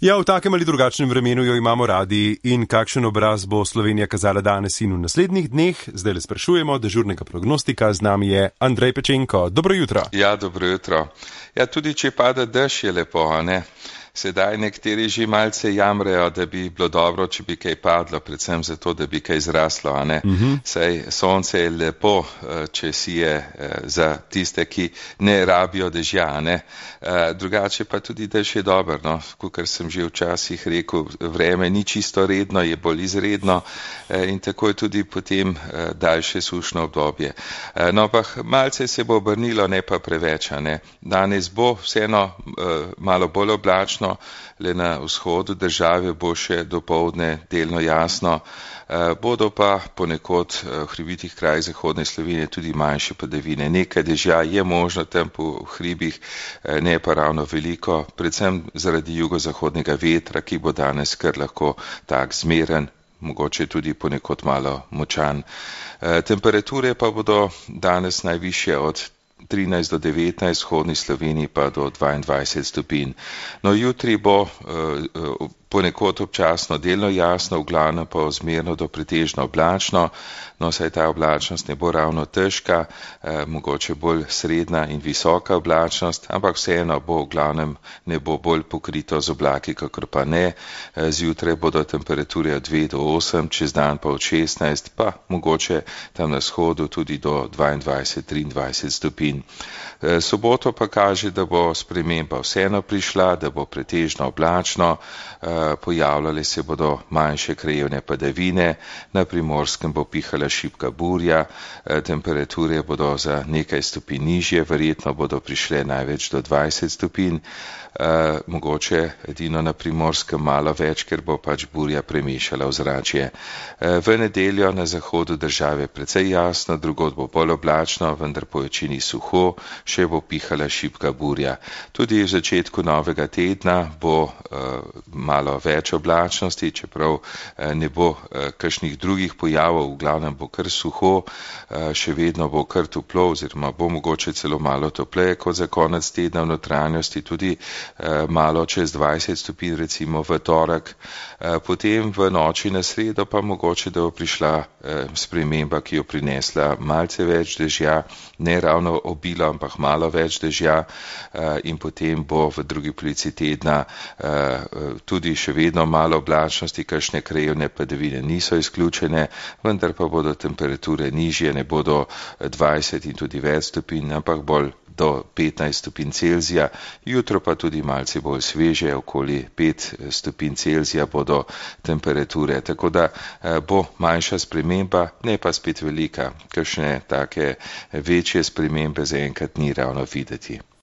Ja, v takem ali drugačnem vremenu jo imamo radi in kakšen obraz bo Slovenija kazala danes in v naslednjih dneh. Zdaj le sprašujemo dežurnega prognostika, z nami je Andrej Pečenko. Dobro jutro. Ja, dobro jutro. Ja, tudi če pada dež je lepo, a ne? Sedaj nekateri že malce jamrejo, da bi bilo dobro, če bi kaj padlo, predvsem zato, da bi kaj zraslo, a ne? Saj sonce je lepo, če sije za tiste, ki ne rabijo dežja, a ne? Drugače pa tudi dež je dober, no? Kakor sem že včasih rekel, vreme ni čisto redno, je bolj izredno in tako je tudi potem daljše sušno obdobje. No, pa malce se bo obrnilo, ne pa preveč, a ne? Danes bo vseeno malo bolj oblačno, le na vzhodu države bo še dopoldne delno jasno, bodo pa ponekod v hribitih krajih zahodne Slovenije tudi manjše padavine. Nekaj dežja je možno tam po hribih, ne pa ravno veliko, predvsem zaradi jugozahodnega vetra, ki bo danes kar lahko tak zmeren, mogoče tudi ponekod malo močan. Temperature pa bodo danes najvišje od 13 do 19, v vzhodni Sloveniji pa do 22 stopinj. No, jutri bo ponekod občasno delno jasno, v glavnem pa zmerno do pretežno oblačno, no saj ta oblačnost ne bo ravno težka, mogoče bolj srednja in visoka oblačnost, ampak vseeno bo v glavnem nebo bolj pokrito z oblaki, kakor pa ne. Zjutraj bodo temperature od 2 do 8, čez dan pa od 16, pa mogoče tam na vzhodu tudi do 22-23 stopinj. Soboto pa kaže, da bo sprememba vseeno prišla, da bo pretežno oblačno, pojavljale se bodo manjše krajevne padavine, na Primorskem bo pihala šibka burja, temperature bodo za nekaj stopinj nižje, verjetno bodo prišle največ do 20 stopinj, mogoče edino na Primorskem malo več, ker bo pač burja premešala ozračje. V nedeljo na zahodu države precej jasno, drugod bo bolj oblačno, vendar po večini suho, še bo pihala šibka burja. Tudi v začetku novega tedna bo malo več oblačnosti, čeprav ne bo kakšnih drugih pojavov, v glavnem bo kar suho, še vedno bo kar toplo, oziroma bo mogoče celo malo topleje kot za konec tedna, v notranjosti tudi malo čez 20 stopinj, recimo v torek. Potem v noči na sredo pa mogoče, da bo prišla sprememba, ki jo prinesla malce več dežja, ne ravno obilo, ampak malo več dežja, in potem bo v drugi polovici tedna tudi še vedno malo oblačnosti, kakšne krajevne padavine niso izključene, vendar pa bodo temperature nižje, ne bodo 20 in tudi več stopinj, ampak bolj do 15 stopinj Celzija, jutro pa tudi malce bolj sveže, okoli 5 stopinj Celzija bodo temperature, tako da bo manjša sprememba, ne pa spet velika, kakšne take večje spremembe zaenkrat ni ravno videti.